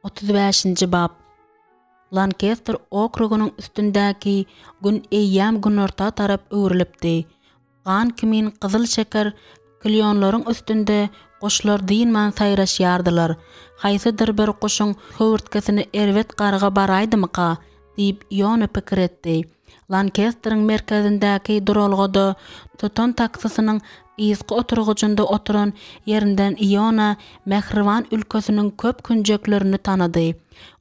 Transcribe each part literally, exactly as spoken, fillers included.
Otuz bäşinji bap. Lankester okrugynyň üstündäki Gün eýýäm günorta tarap öwrülipdi. Gan kimin gyzyl şeker klýonlaryň üstünde guşlar dynman saýraşýardylar. Haýsydyr bir guşuň höwürtgesine erbet garga baraýdymyka? diýip, Iona pikir etdi. Lankesteriň merkezindäki duralgada tutan taksisiniň yzky oturgyjynda oturan ýerinden Iona mähriban ülkesiniň köp künjeklerini tanady.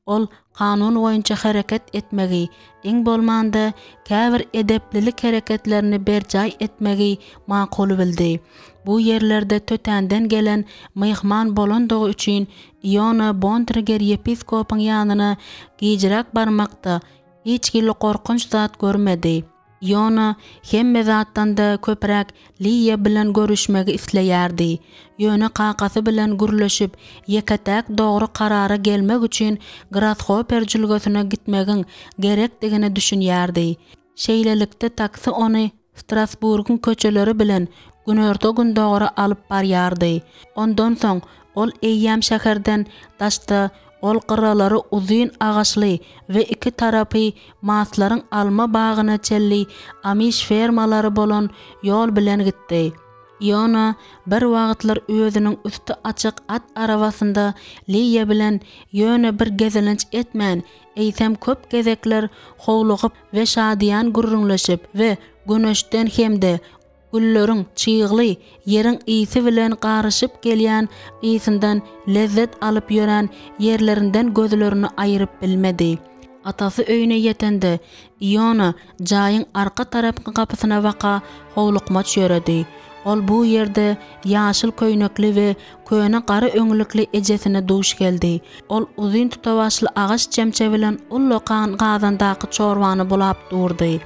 Ol kanun boýunça hereket etmegi, iň bolmanda, käbir edeplilik hereketlerini berjaý etmegi makul bildi. Bu ýerlerde tötänden gelen myhman bolandygy üçin Iona Bontriger ýepiskopyň ýanyna gijräk barmakda hiç hili gorkunç zat görmedi. Iona hemme zatdan-da köpräk Liýa bilen görüşmegi isleýärdi. Ýöne kakasy bilen gürleşip, ýeke-täk dogry karara gelmek üçin Grashoper jülgesine gitmegiň gerekdigine düşünýärdi. Şeýlelikde taksi ony Strasburgyň köçeleri bilen günorta-gündogara alyp barýardy. Ondan soň ol eýýäm şäherden daşda ol gyralary uzyn agaçly we iki tarapy maslaryň alma bagyna çenli amiş fermalary bolan ýol bilen gitdi. Iona bir wagtlar özüniň üsti açyk at arabasynda Liýa bilen ýöne bir gezelenç etmän, eýsem köp gezekler howlugyp we şadyýan gürrüňleşip we güneşden hem-de gülleriň çygly ýeriň ysy bilen garyşyp gelýän ysyndan lezzet alyp ýörän ýerlerinden gözlerini aýyryp bilmedi. Atasy öýüne ýetende, Iona jaýyň arka tarapky gapysyna baka howlukmaç ýöredi. Ol bu ýerde ýaşyl köýnekli we köne gara öňlükli ejesine duş geldi. Ol uzyn tutawaçly agaç çemçe bilen ullakan gazandaky çorbany bulap durdy.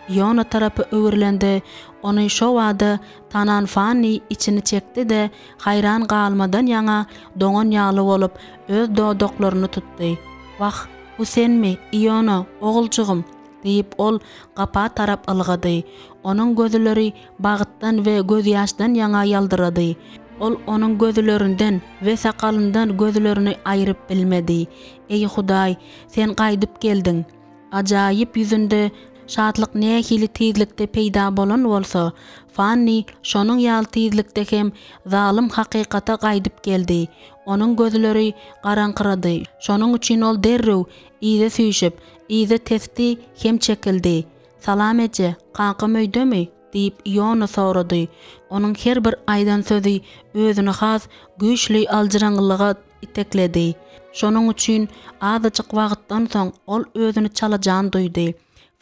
Iona tarapa öwrülende, ony şo bada tanan Fanni içini çekdi-de, haýran galmadan ýaňa doňan ýaly bolup, öz dodaklaryny tutdy. Wah, bu senmi, Iona, oguljygym? Diýip, ol gapa tarap ylgady. Onuň gözleri bagtdan we gözýaşdan ýaňa ýaldyrady. Ol onuň gözlerinden we sakalyndan gözlerini aýryp bilmedi. Eý, Hudaý, sen gaýdyp geldiň! Ajaýyp ýüzünde şatlyk nähili tizlikde peýda bolan bolsa, Fanni şonuň ýaly tizlikde hem zalym hakykata gaýdyp geldi. Onuň gözleri garaňkyrady, şonuň üçin ol derrew yza süýşüp, yza tesdi hem çekildi. Salam eje, kakam öýdemi? diýip, Iona sorady. Onuň her bir aýdan sözi özüni has güýçli aljyraňňylyga itekledi. Şonuň üçin azajyk wagtdan soň ol özüni çalajan duýdy.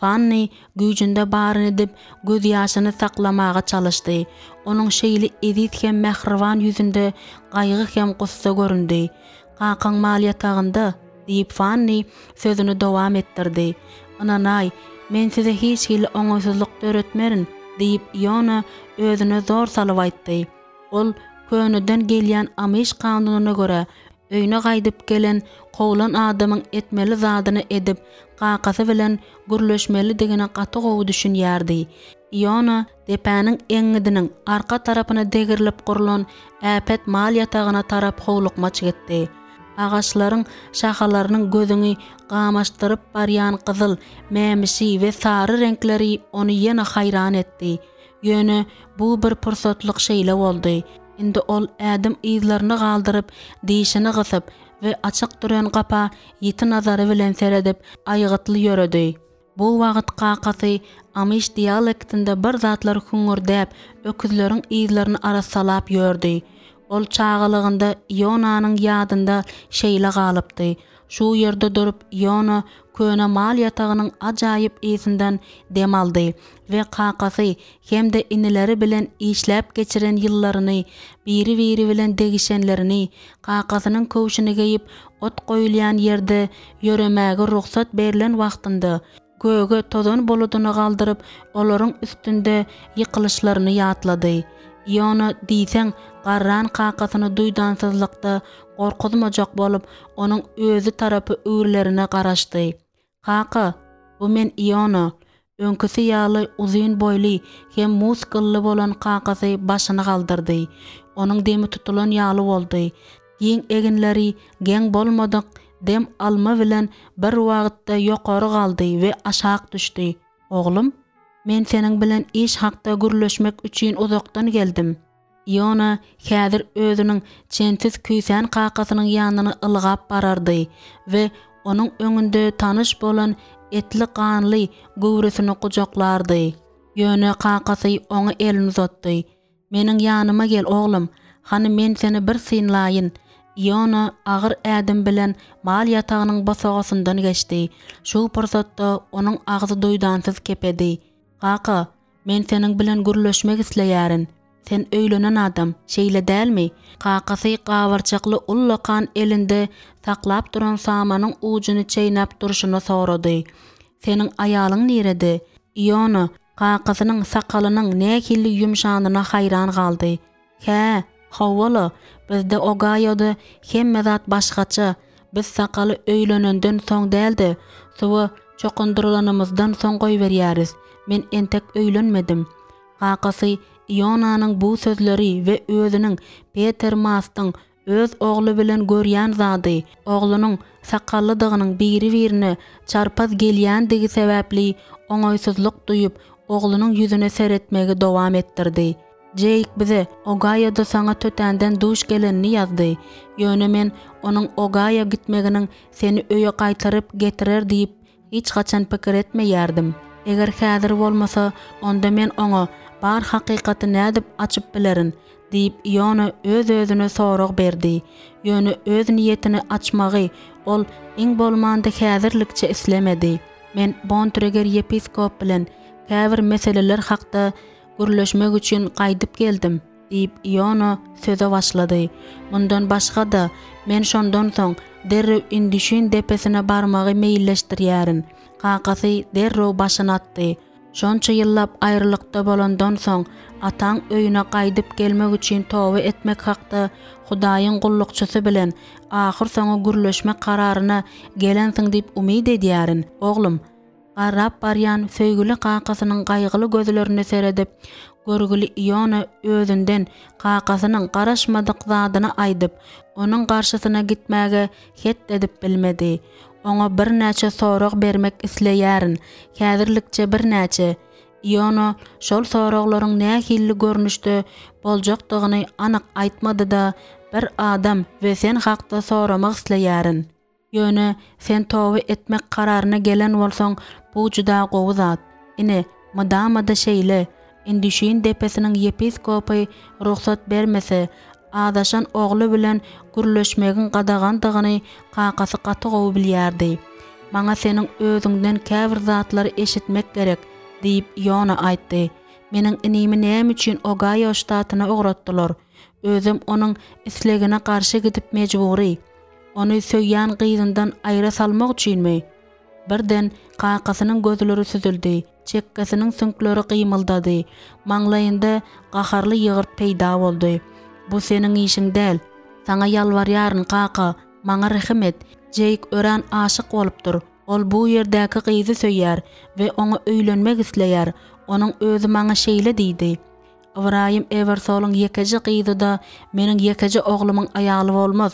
Fanni güýjünde baryny edip, gözýaşyny saklamaga çalyşdy. Onuň şeýle eziz hem mähriban ýüzünde gaýgy hem gussa göründi. Kakaň mal ýatagynda, diýip, Fanni sözüni dowam etdirdi. Ynanaý, men size hiç hili oňaýsyzlyk döretmerin, diýip, Iona özüne zor salyp aýtdy. Ol köneden gelýän amiş kanunyna görä, öýüne gaýdyp gelen kowlan adamyň etmeli zadyny edip, kakasy bilen gürleşmelidigine gaty gowy düşünýärdi. Iona depäniň eňňidiniň arka tarapyna degrilip gurlan äpet mal ýatagyna tarap howlukmaç gitdi. Agaçlaryň şahalarynyň gözüňi gamaşdyryp barýan gyzyl, mämişi we sary reňkleri ony ýene haýran etdi. Ýöne bu bir pursatlyk şeýle boldy. Indi ol ädim yzlaryny galdyryp, dişini gysyp we açyk duran gapa ýiti nazary bilen seredip, aýgytly ýöredi. Bu wagt kakasy amiş dialektinde bir zatlar hüňňürdäp, öküzleriň yzlaryny arassalap ýördi. Ol çagalygynda Ionanyň ýadynda şeýle galypdy. Şu ýerde durup Iona köne mal ýatagynyň ajaýyp ysyndan dem aldy we kakasy hem-de inileri bilen işläp geçiren ýyllaryny, biri-biri bilen degişenlerini, kakasynyň köwşüni geýip, ot goýulýan ýerde ýöremäge rugsat berlen wagtynda, göge tozan buludyny galdyryp, olaryň üstünde ýykylyşlaryny ýatlady. Iona diýseň garran kakasyny duýdansyzlykda gorkuzmajak bolup, onuň özi tarapa öwrülerine garaşdy. Kaka, bu men Iona. Öňküsi ýaly uzyn boýly hem muskully bolan kakasy başyny galdyrdy. Onuň demi tutulan ýaly boldy. Giň eginleri geň bolmadyk dem alma bilen bir wagtda ýokary galdy we aşak düşdi. Oglum, men seniň bilen iş hakda gürleşmek üçin uzakdan geldim. Iona häzir özüniň çensiz küýsän kakasynyň ýanyna ylgap barardy we onuň öňünde tanyş bolan etli-ganly göwresini gujaklardy. Ýöne kakasy oňa elini uzatdy. Meniň ýanyma gel, oglum, hany men seni bir synlaýyn. Iona agyr ädim bilen mal ýatagynyň bosagasyndan geçdi. Şu pursatda onuň agzy duýdansyz kepedi. Kaka, men seniň bilen gürleşmek isleýärin. Sen öýlenen adam, şeýle dälmi? Kakasy gabarçakly ullakan elinde saklap duran samanyň ujuny çeýnäp durşuna sorady. Seniň aýalyň nirede? Iona kakasynyň sakalynyň nähili ýumşanyna haýran galdy. Hä, hawa-la, bizde Ogaýoda hemme zat başgaça. Biz sakaly öýlenenden soň däl-de, suwa çokundyrylanymyzdan soň goýberýäris. Men entek öýlenmedim. Kakasy Ionanyň bu sözleri we özüniň Peter Mastyň öz ogly bilen görýän zady, oglunyň sakallydygynyň biri-birine çarpaz gelýändigi sebäpli oňaýsyzlyk duýup, oglunyň ýüzüne seretmegi dowam etdirdi. Jeýk bize Ogaýoda saňa tötänden duş gelenini ýazdy. Ýöne men onuň Ogaýo gitmeginiň seni öýe gaýtaryp getirer diýip hiç haçan pikir etmeýärdim. Eger häzir bolmasa, onda men oňa bar hakykaty nädip açyp bilerin? diýip, Iona öz-özüne sorag berdi. Ýöne öz niýetini açmagy ol iň bolmanda häzirlikçe islemedi. Men Bontreger ýepiskop bilen käbir meseleler hakda gürleşmek üçin gaýdyp geldim, diýip, Iona söze başlady. Mundan başga-da, men şondan soň derrew Indüşin depesine barmagy meýilleşdirýärin. Kakasy derrew başyny atdy. Şonça ýyllap aýralykda bolandan soň, ataň öýüne gaýdyp gelmek üçin toba etmek hakda Hudaýyň gullukçysy bilen ahyrsoňy gürleşmek kararyna gelensiň diýip umyt edýärin, oglum. Garrap barýan söýgüli kakasynyň gaýgyly gözlerine seredip, görgüli Iona özünden kakasynyň garaşmadyk zadyny aýdyp, onuň garşysyna gitmäge het edip bilmedi. Oňa birnäçe sorag bermek isleýärin, häzirlikçe birnäçe. Iona şol soraglaryň nähili görnüşde boljakdygyny anyk aýtmady-da, bir adam we sen hakda soramak isleýärin. Ýöne sen toba etmek kararyna gelen bolsaň, bu juda gowy zat. Ine, mydama-da şeýle. Indüşin depesiniň ýepiskopy rugsat bermese, azaşan ogly bilen gürleşmegiň gadagandygyny kakasy gaty gowy bilýärdi. Maňa seniň özüňden käbir zatlary eşitmek gerek, diýip, Iona aýtdy. Meniň inimi näme üçin Ogaýo ştatyna ugratdylar? Özem onuň islegine garşy gidip mejbury. Ony söýýän gyzyndan aýra salmak üçinmi? Birden kakasynyň gözleri süzüldi, çekgesiniň süňkleri gymyldady, maňlaýynda gaharly ýygyrt peýda boldy. Bu seniň işiň däl. Saňa ýalbarýaryn, kaka, maňa rehim et. Jeýk örän aşyk bolupdyr. Ol bu ýerdäki gyzy söýýär we oňa öýlenmek isleýär. Onuň özi maňa şeýle diýdi. Ybraýym Ewersolyň ýekeje gyzy-da meniň ýekeje oglumyň aýaly bolmaz.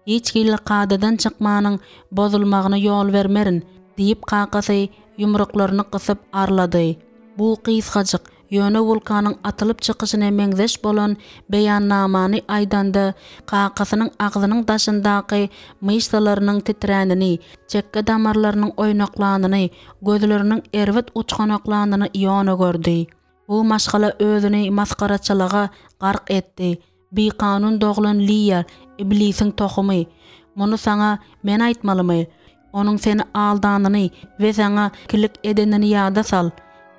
Hiç hili kadadan çykmanyň bozulmagyna ýol bermerin, diýip, kakasy ýumruklaryny gysyp arlady. Bu gysgajyk, ýöne wulkanyň atylyp çykyşyna meňzeş bolan beýannamany aýdanda, kakasynyň agzynyň daşyndaky myşsalarynyň titränini, çekge damarlarynyň oýnaklanyny, gözleriniň erbet uçganaklanyny Iona gördi. Bu maşgala özüni masgaraçylyga gark etdi. Bikanun doglan Liýa, iblisiň tohumy. Muny saňa men aýtmalymy? Onuň seni aldanyny we saňa ikilik edenini ýada sal.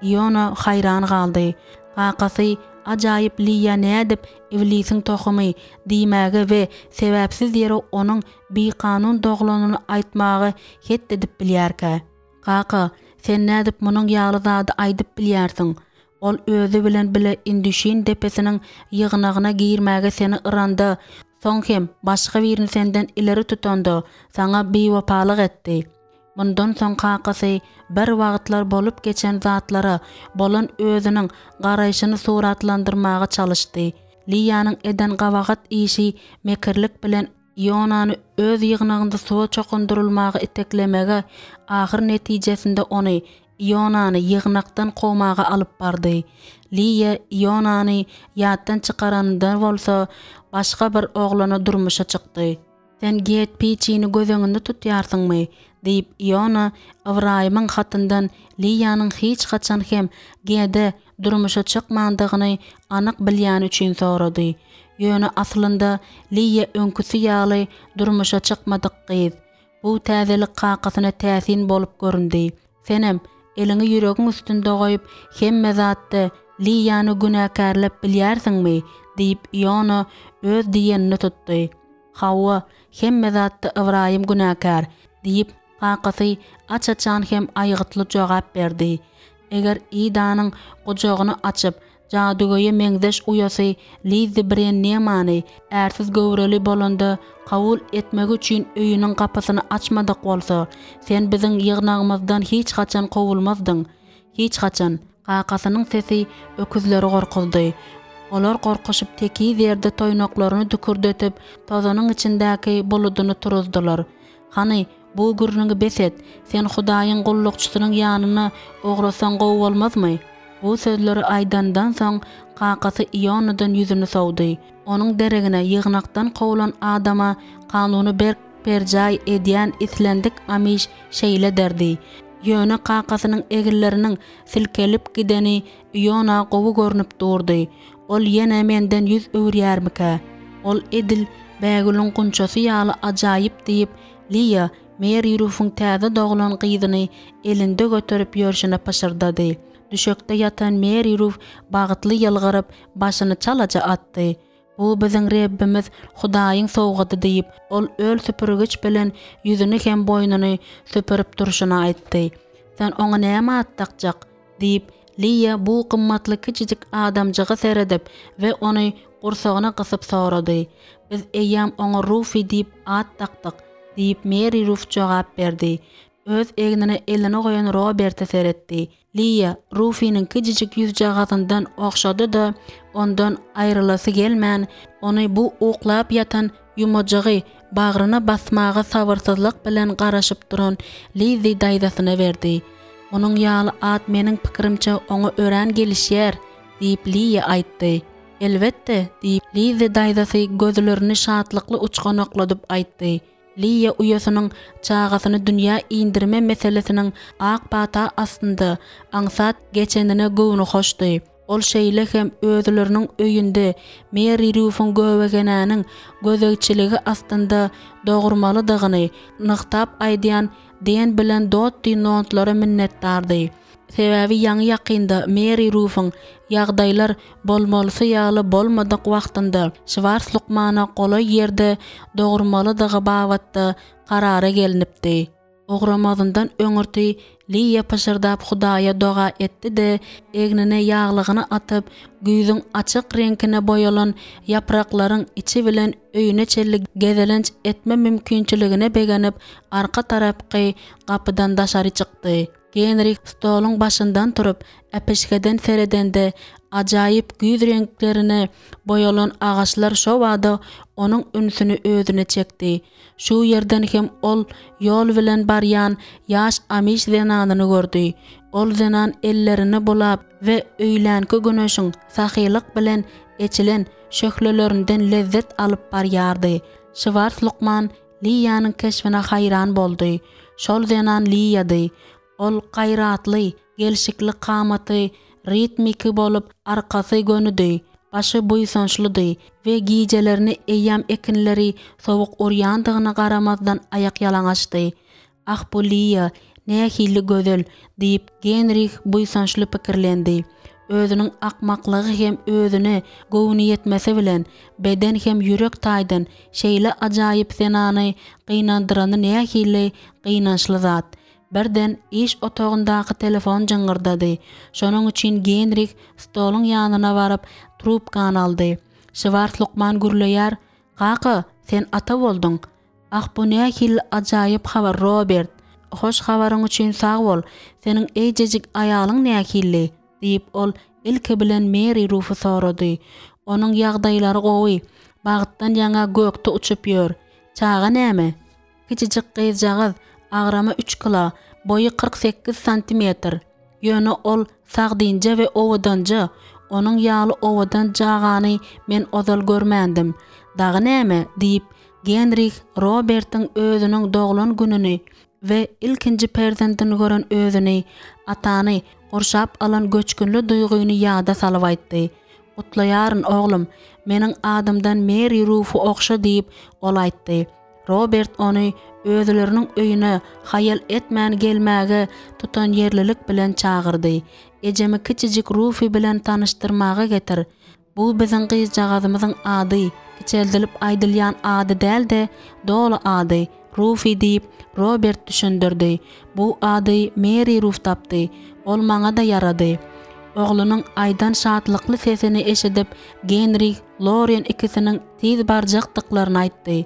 Iona haýran galdy. Kakasy ajaýyp Liýa nädip iblisiň tohumy diýmäge we sebäpsiz ýere onuň bikanun doglanyny aýtmaga het edip bilýärkä? Kaka, sen nädip munuň ýaly zady aýdyp bilýärsiň? Ol özi bilen bile Indüşin depesiniň ýygnagyna girmäge seni yranda, soň hem başga birini senden ileri tutanda, saňa biwepalyk etdi. Mundan soň kakasy bir wagtlar bolup geçen zatlara bolan özüniň garaýşyny suratlandyrmaga çalyşdy. Liýanyň eden gabahat işi mekirlik bilen Ionany öz ýygnagynda suwa çokundyrylmaga iteklemegi ahyr netijesinde ony, Ionany, ýygnakdan kowmaga alyp bardy. Liýa Ionany ýatdan çykaranynda bolsa, başga bir oglana durmuşa çykdy. Sen Get Piçini göz öňünde tutýarsyňmy? diýip, Iona Ybraýymyň hatyndan Liýanyň hiç haçan hem Gede durmuşa çykmandygyny anyk bilýäni üçin sorady. Ýöne aslynda Liýa öňküsi ýaly durmuşa çykmadyk gyz. Bu täzelik kakasyna täsin bolup göründi. Senem, eliňi ýüregiň üstünde goýup, hemme zatda Liýany günäkärläp bilýärsiňmi? diýip, Iona öz diýenini tutdy. Hawa, hemme zatda Ybraýym günäkär, diýip, kakasy aç-açan hem aýgytly jogap berdi. Eger Idanyň gujagyny açyp, jadygöýe meňzeş uýasy Lizzi Brennemany ärsiz göwreli bolanda kabul etmegi üçin öýüniň gapysyny açmadyk bolsa, sen biziň ýygnagymyzdan hiç haçan kowulmazdyň. Hiç haçan. Kakasynyň sesi öküzleri gorkuzdy. Olar gorkuşyp tekiz ýerde toýnaklaryny dükürdetip, tozanyň içindäki buludyny turuzdylar. Hany, bu gürrüňi bes et, sen Hudaýyň gullukçysynyň ýanyna ugrasaň gowy bolmazmy? Bu sözleri aýdandan soň, kakasy Ionadan ýüzüni sowdy. Onuň deregine ýygnakdan kowlan adama kanuny berk berjaý edýän islendik amiş şeýle derdi. Ýöne kakasynyň eginleriniň silkelip gideni Iona gowy görnüp durdy. Ol ýene menden ýüz öwürýärmikä? Ol edil bägülüň gunçasy ýaly ajaýyp diýip, Liýa Meri Rufuň täze doglan gyzyny elinde göterip ýörşüne pyşyrdady. Düşekde ýatan Meri Ruf bagtly ýylgyryp, başyny çalaja atdy. Bu biziň Rebbimiz Hudaýyň sowgady diýip, ol öl süpürgiç bilen ýüzüni hem boýnuny süpürip durşuna aýtdy. Sen oňa näme at dakjak? Diýip, Liýa bu gymmatly kiçijik adamjyga seredip we ony gursagyna gysyp sorady. Biz eýýäm oňa Rufi diýip at dakdyk, diýip, Meri Ruf jogap berdi. Öz egnine elini goýan Roberte seretdi. Liýa Rufiniň kiçijik ýüzjagazyndan ogşady-da, ondan aýrylasy gelmän, ony bu uklap ýatan ýumajygy bagryna basmaga sabyrsyzlyk bilen garaşyp duran Lizzi daýzasyna berdi. Munuň ýaly at meniň pikirimçe oňa örän gelişýär, diýip, Liýa aýtdy. Elbetde, diýip, Lizzi daýzasy gözlerini şatlykly uçganakladyp aýtdy. Liýa uýasynyň çagasyny dünýä indirme meselesiniň ak pata astynda aňsat geçenine göwnühoşdy. Ol şeýle hem özleriniň öýünde Meri Rýufyň göbegenäniň gözegçiligi astynda dogurmalydygyny nygtap aýdýan Den bilen Dotti Nontlara minnetdardy. Sebäbi ýaňy-ýakynda Meri Rufyň ýagdaýlar bolmalysy ýaly bolmadyk wagtynda Şwars lukmana golaý ýerde dogurmalydygy babatda karara gelnipdi. Ugramazyndan öňürti Liýa pyşyrdap Hudaýa doga etdi-de, egnine ýaglygyny atyp, güýzüň açyk reňkine boýalan ýapraklaryň içi bilen öýüne çenli gezelenç etme mümkinçiligine begenip, arka tarapky gapydan daşary çykdy. Genrih stoluň başyndan turup, äpişgeden seredende, ajaýyp güýz reňklerine boýalan agaçlar şobada onuň ünsüni özüne çekdi. Şu ýerden hem ol ýol bilen barýan ýaş amiş zenanyny gördi. Ol zenan ellerini bulap we öýlänki güneşiň sahylyk bilen eçilen şöhlelerinden lezzet alyp barýardy. Şwars lukman Liýanyň keşbine haýran boldy. Şol zenan Liýady. Ol gaýratly, gelşikli kamaty ritmiki bolup, arkasy gönüdi, başy buýsançlydy we gijelerini eýýäm ekinleri sowuk urýandygyna garamazdan aýakýalaňaçdy. Ah, bu Liýa nähili gözel! diýip, Genrih buýsançly pikirlendi. Özüniň akmaklygy hem özüne göwnüýetmesi bilen, beden hem ýürek taýdan şeýle ajaýyp zenany gynandyrany nähili gynançly zat! Birden iş otagyndaky telefon jyňňyrdady. Şonuň üçin Genrih stoluň ýanyna baryp, trubkany aldy. Şwars lukman gürleýär, Kaka, sen ata bolduň. Ah, bu nähili ajaýyp habar, Robert! Hoş habaryň üçin sag bol. Seniň eýjejik aýalyň nähili? diýip, ol ilki bilen Meri Rufy sorady. Onuň ýagdaýlary gowy. Bagtdan ýaňa gökde uçup ýör. Çaga näme? Kiçijik gyzjagaz, agramy üç kilo, boýy kyrk sekiz santimetr. Ýöne ol sagdynja we owadanja, onuň ýaly owadan cagany men ozal görmändim. Dagy näme? diýip, Genrih Robertiň özüniň doglan gününi we ilkinji perzendini gören özüni, atany gurşap alan göçgünli duýgyny ýada salyp aýtdy. Gutlaýaryn, oglum, meniň adymdan Meri Rufy ogşa diýip, ol aýtdy. Robert ony özleriniň öýüne haýal etmän gelmäge tutanýerlilik bilen çagyrdy. Ejemi kiçijik Rufy bilen tanyşdyrmaga getir. Bu biziň gyzjagazymyzyň ady, kiçeldilip aýdylýan ady däl-de, doly ady, Rufy diýip, Robert düşündirdi. Bu ady Meri Ruf tapdy. Ol maňa-da ýarady. Oglunyň aýdan şatlykly sesini eşidip, Genrih Loren ikisiniň tiz barjakdyklaryny aýtdy.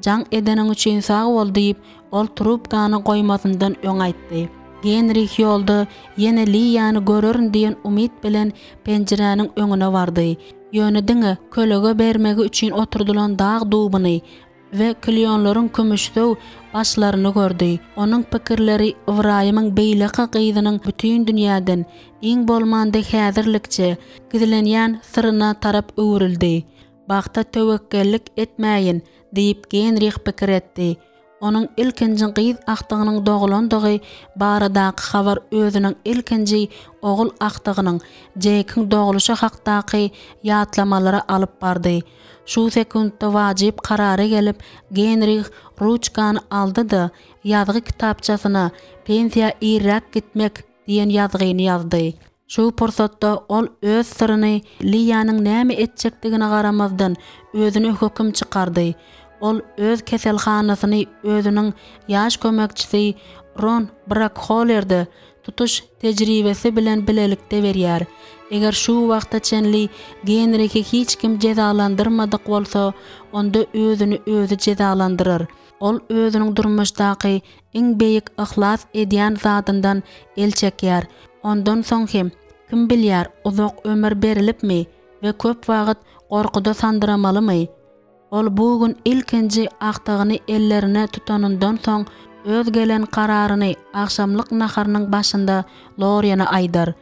Jaň edeniň üçin sag bol diýip, ol trubkany goýmazyndan öň aýtdy. Genrih ýolda ýene Liýany görerin diýen umyt bilen penjiräniň öňüne bardy. Ýöne diňe kölege bermegi üçin oturdylan dag dubuny we klýonlaryň kümüşsöw başlaryny gördi. Onuň pikirleri Ybraýymyň beýleki gyzynyň bütin dünýäden, iň bolmanda häzirlikçe, gizlenýän syryna tarap öwrüldi. Bagta töwekgellik etmäýin, diýip, Genrih pikir etdi. Onuň ilkinji gyz agtygynyň doglandygy baradaky habar özüniň ilkinji ogul agtygynyň, Jekiň dogluşy hakdaky ýatlamalara alyp bardy. Şu sekuntda wajyp karara gelip, Genrih ruçkany aldy-da, ýazgy kitapçasyna Pensiýa irräk gitmek diýen ýazgyny ýazdy. Şu pursatda ol öz syryny Liýanyň näme etjekdigine garamazdan, özüne höküm çykardy. Ol öz keselhanasyny özüniň ýaş kömekçisi Ron Brakholerde tutuş tejribesi bilen bilelikde berýär. Eger şu wagta çenli Genrihi hiç kim jezalandyrmadyk bolsa, onda özüni özi jezalandyrar. Ol özüniň durmuşdaky iň beýik yhlas edýän zadyndan el çekýär. Ondan soň hem, kim bilýär, uzak ömür berilipmi we köp wagt gorkuda sandyramalymy? Ol bu gün ilkinji agtygyny ellerine tutanyndan soň öz gelen kararyny agşamlyk naharynyň başynda Loriene aýdar.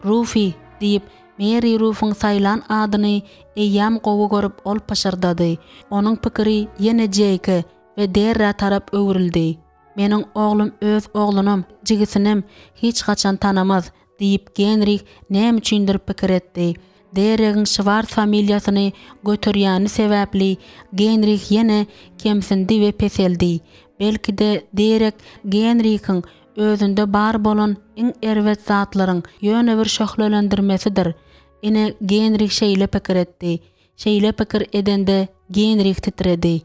Rufi, diýip, Meri Rufuň saýlan adyny eýýäm gowy görüp ol pyşyrdady. Onuň pikiri ýene Jeýke we Derrä tarap öwrüldi. Meniň oglum öz oglunam, jigisinem hiç haçan tanamaz, diýip, Genrih näme üçindir pikir etdi. Derregiň Şwars familiýasyny göterýäni sebäpli Genrih ýene kemsindi we peseldi. Belki-de, Derek Genrihiň özünde bar bolan iň erbet zatlaryň ýöne bir şöhlelendirmesidir. Ine, Genrih şeýle pikir etdi. Şeýle pikir edende Genrih titredi.